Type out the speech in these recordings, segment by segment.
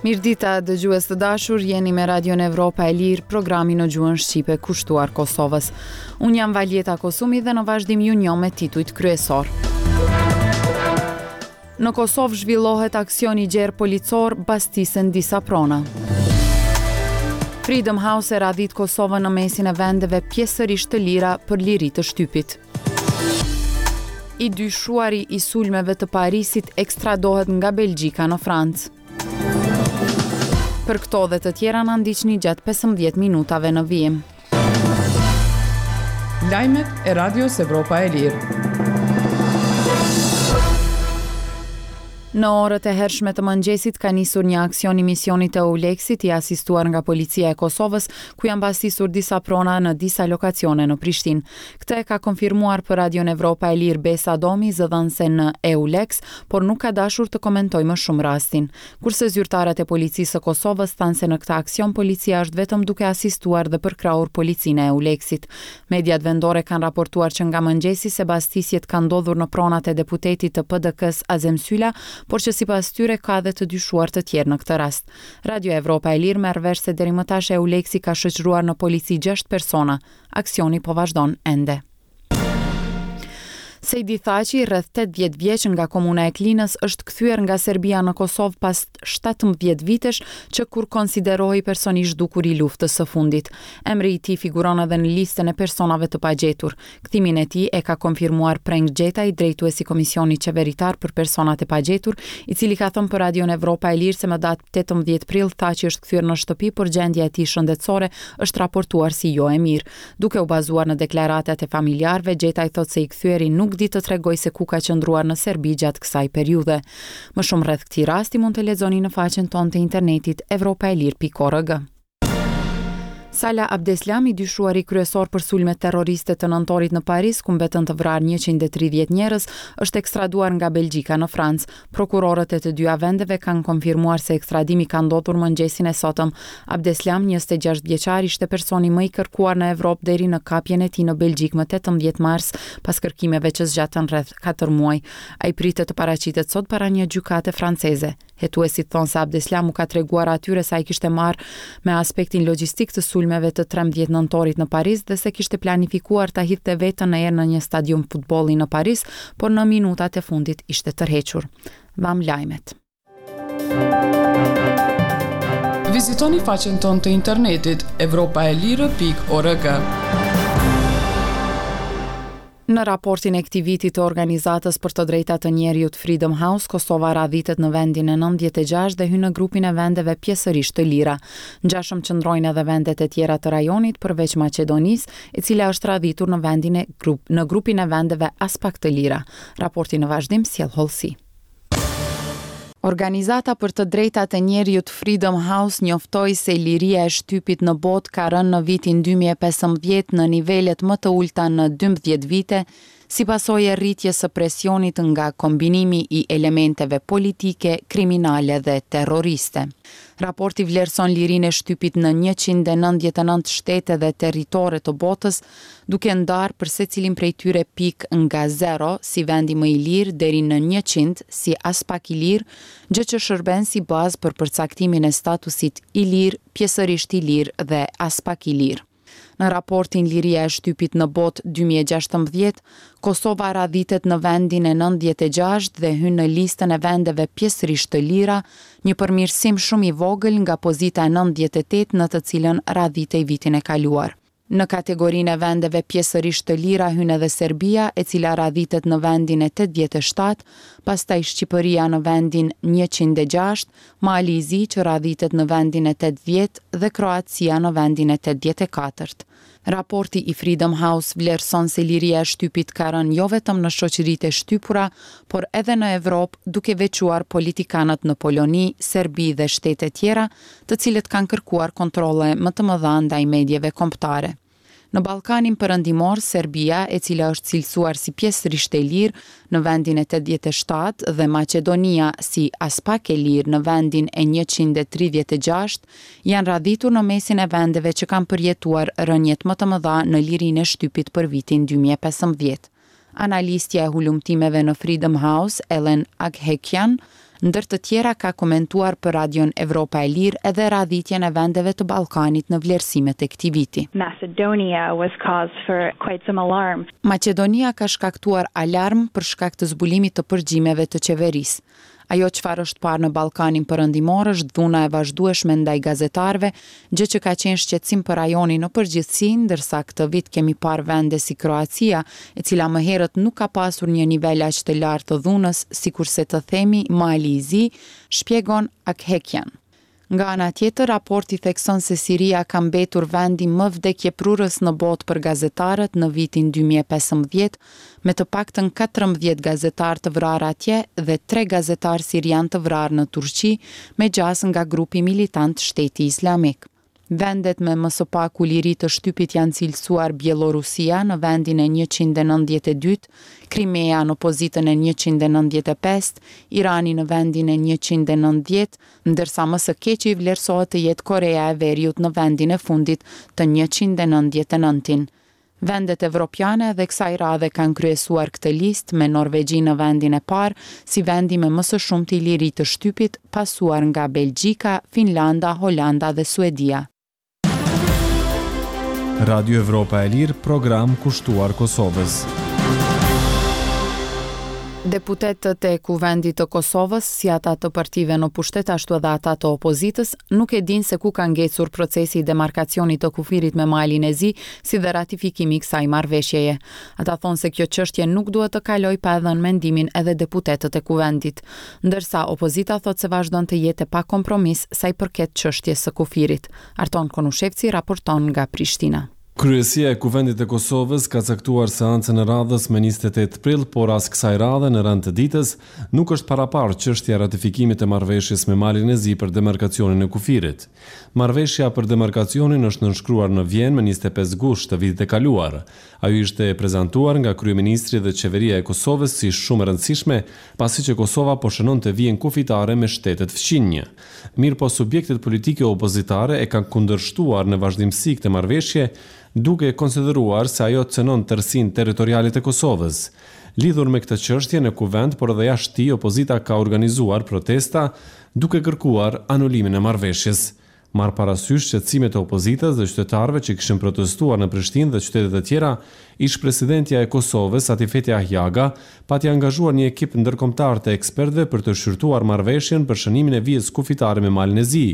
Mirëdita, dëgjues të dashur, jeni me Radion Evropa e Lirë, programi në gjuhën shqipe kushtuar Kosovës. Unë jam Valjeta Kosumi dhe në vazhdim ju njoh me titujt kryesorë. Në Kosovë zhvillohet aksion i gjerë policor, bastisen disa prona. Freedom House e radhit Kosovën në mesin e vendeve pjesërisht të lira për liri të shtypit. I dyshuari i sulmeve të Parisit ekstradohet nga Belgjika në Francë. Për këto dhe të tjera na ndiqni gjatë 15 minutave në vijim. Lajmet e Radios Evropa e Lirë. Në orët e hershme të mëngjesit ka nisur një aksion i misionit të EULEX-it i asistuar nga Policia e Kosovës, ku janë bastisur disa prona në disa lokacione në Prishtinë. Këtë e ka konfirmuar për Radion Evropa e Lirë Besa Domi, zëdhënëse në EULEX, por nuk ka dashur të komentojë më shumë rastin. Kurse zyrtarët e Policisë së Kosovës thanë se në këtë aksion policia është vetëm duke asistuar dhe përkrahur policinë e EULEX-it. Mediat vendore kanë raportuar që nga mëngjesi se bastisjet kanë ndodhur në pronat e deputetit të PDK-së Azem Syla, por që sipas tyre ka edhe të dyshuar të tjerë në këtë rast. Radio Evropa e Lirë merr vesh se deri më tash EULEX-i ka shoqëruar në polici gjashtë persona. Aksioni po vazhdon ende. Sejdi Thaçi, rreth 80 vjeç nga komuna e Klinës, është kthyer nga Serbia në Kosovë pas 17 vitesh që kur konsiderohej person i zhdukur i luftës së fundit. Emri i tij figuron edhe në listën e personave të pagjetur. Kthimin e tij e ka konfirmuar Preng Gjetaj, drejtues i Komisionit Qeveritar për Personat e Pagjetur, i cili ka thënë për Radion Evropa e Lirë se më datë 18 prill Thaçi është kthyer në shtëpi, por gjendja e tij shëndetësore është raportuar si jo e mirë. Duke u bazuar në deklaratat e familjarëve, Gjetaj thotë se i kthyeri nuk di të tregojë se ku ka qëndruar në Serbi gjatë kësaj periudhe. Më shumë rreth këtij rasti mund të lexoni në faqen tonë të internetit evropaelire.org. Salah Abdeslam, i dyshuari kryesor për sulmet terroriste të nëntorit në Paris, ku mbetën të vrarë 130 njerëz, është ekstraduar nga Belgjika në Francë. Prokurorët e të dyja vendeve kanë konfirmuar se ekstradimi ka ndodhur mëngjesin e sotëm. Abdeslam, 26 vjeçar, ishte personi më i kërkuar në Evropë deri në kapjen e tij në Belgjikë më 18 mars, pas kërkimeve që zgjatën rreth katër muaj. Ai pritet të paraqitet sot para një gjykate franceze. Hetuesit thonë se Abdeslam u ka treguar atyre se ai kishte marrë me aspektin logjistik të sulmeve të 13 nëntorit në Paris dhe se kishte planifikuar ta hidhte veten në erë në një stadium futbolli në Paris, por në minutat e fundit ishte tërhequr. Dhamë lajmet. Vizitoni faqen tonë të internetit evropaelire.org. Në raportin e këtij viti të Organizatës për të Drejta të Njeriut Freedom House, Kosova radhitet në vendin e 96 dhe hyn në grupin e vendeve pjesërisht të lira. Ngjashëm qëndrojnë edhe vendet e tjera të rajonit përveç Maqedonisë, e cila është radhitur në vendin e grup, në grupin e vendeve aspak të lira. Raporti në vazhdim sjell hollësi. Organizata për të drejtat e njeriut Freedom House njoftoi se liria e shtypit në botë ka rënë në vitin 2015 në nivelet më të ulëta në 12 vite, si pasojë e rritjes së presionit nga kombinimi i elementeve politike, kriminale dhe terroriste. Raporti vlerëson lirinë e shtypit në 199 shtete dhe territore të botës, duke ndarë për secilin prej tyre pikë nga zero si vendi më i lirë deri në 100 si aspak i lirë, gjë që shërben si bazë për përcaktimin e statusit i lirë, pjesërisht i lirë dhe aspak i lirë. Në raportin Liria e shtypit në botë 2016, Kosova radhitet në vendin e 96 dhe hyn në listën e vendeve pjesërisht të lira, një përmirësim shumë i vogël nga pozita e 98 në të cilën radhitej vitin e kaluar. Në kategorinë e vendeve pjesërisht të lira hyn edhe Serbia, e cila radhitet në vendin e 87, pastaj Shqipëria në vendin 106, Mali i Zi që radhitet në vendin e 80 dhe Kroacia në vendin e 84. Raporti i Freedom House vlerëson se liria e shtypit ka rënë jo vetëm në shoqëritë e shtypura, por edhe në Evropë, duke veçuar politikanët në Poloni, Serbi dhe shtete tjera, të cilët kanë kërkuar kontrolle më të mëdha ndaj medieve kombëtare. Në Ballkanin Perëndimor, Serbia, e cila është cilësuar si pjesërisht e lirë në vendin e 87 dhe Maqedonia si aspak e lirë në vendin e 136, janë radhitur në mesin e vendeve që kanë përjetuar rëniet më të mëdha në lirinë e shtypit për vitin 2015. Analistja e hulumtimeve në Freedom House, Ellen Aghekian, Ndër të tjera ka komentuar për Radion Evropa e Lirë edhe radhitjen e vendeve të Ballkanit në vlerësimet e këtij viti. Macedonia was cause for quite some alarm. Maqedonia ka shkaktuar alarm për shkak të zbulimit të përgjimeve të qeverisë. Ajo çfarë është parë në Ballkanin Perëndimor është dhuna e vazhdueshme ndaj gazetarëve, gjë që ka qenë shqetësim për rajonin në përgjithësi, ndërsa këtë vit kemi parë vende si Kroacia, e cila më herët nuk ka pasur një nivel aq të lartë të dhunës, sikurse të themi Mali i Zi, shpjegon Aghekyan. Nga ana tjetër, raporti thekson se Siria ka mbetur vendi më vdekjeprurës në botë për gazetarët në vitin 2015, me të paktën 14 gazetarë të vrarë atje dhe tre gazetarë sirianë të vrarë në Turqi, me gjasë nga grupi militant Shteti Islamik. Vendet me më së paku liri të shtypit janë cilësuar Bjellorusia në vendin e 192, Krimea në pozitën e 195, Irani në vendin e 190, ndërsa më së keqi vlerësohet të jetë Korea e Veriut në vendin e fundit të 199-in. Vendet evropiane edhe kësaj radhe kanë kryesuar këtë listë me Norvegji në vendin e parë si vendi me më së shumti liri të shtypit, pasuar nga Belgjika, Finlanda, Holanda dhe Suedia. Radio Evropa e Lirë, program kushtuar Kosovës. Deputetët e Kuvendit të Kosovës, si ata të partive në pushtet ashtu edhe ata të opozitës, nuk e dinë se ku ka ngecur procesi i demarkacionit të kufirit me Malin e Zi, si dhe ratifikimi i kësaj marrëveshjeje. Ata thonë se kjo çështje nuk duhet të kalojë pa e dhënë mendimin edhe deputetët e Kuvendit. Ndërsa opozita thotë se vazhdon të jetë e pa kompromis sa i përket çështjes së kufirit. Arton Konushevci raporton nga Prishtina. Kryesia e Kuvendit të Kosovës ka caktuar seancën e radhës më 28 prill, por as kësaj radhe në rend të ditës nuk është paraparë çështja e ratifikimit të marrëveshjes me Malin e Zi për demarkacionin e kufirit. Marrëveshja për demarkacionin është nënshkruar në Vjenë më 25 gusht të vitit të kaluar. Ajo ishte prezantuar nga kryeministri dhe qeveria e Kosovës si shumë e rëndësishme, pasi që Kosova po shënonte vijën kufitare me shtetet fqinjë. Mirëpo subjektet politike opozitare e kanë kundërshtuar në vazhdimësi këtë marrëveshje, duke konsideruar se ajo cënon tërësinë territoriale të Kosovës. Lidhur me këtë çështje në Kuvend, por edhe jashtë tij, opozita ka organizuar protesta duke kërkuar anulimin e marrëveshjes. Marrë parasysh shqetësimet e opozitës dhe qytetarëve që kishin protestuar në Prishtinë dhe qytete të tjera, ish-presidentja e Kosovës, Atifete Jahjaga, pati angazhuar një ekip ndërkombëtar të ekspertëve për të shqyrtuar marrëveshjen për shënimin e vijës kufitare me Malin e Zi.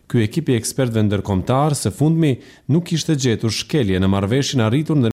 Ky ekip i ekspertëve ndërkombëtar, së fundmi, nuk kishte gjetur shkelje në marrëveshjen arritur ndërmjet.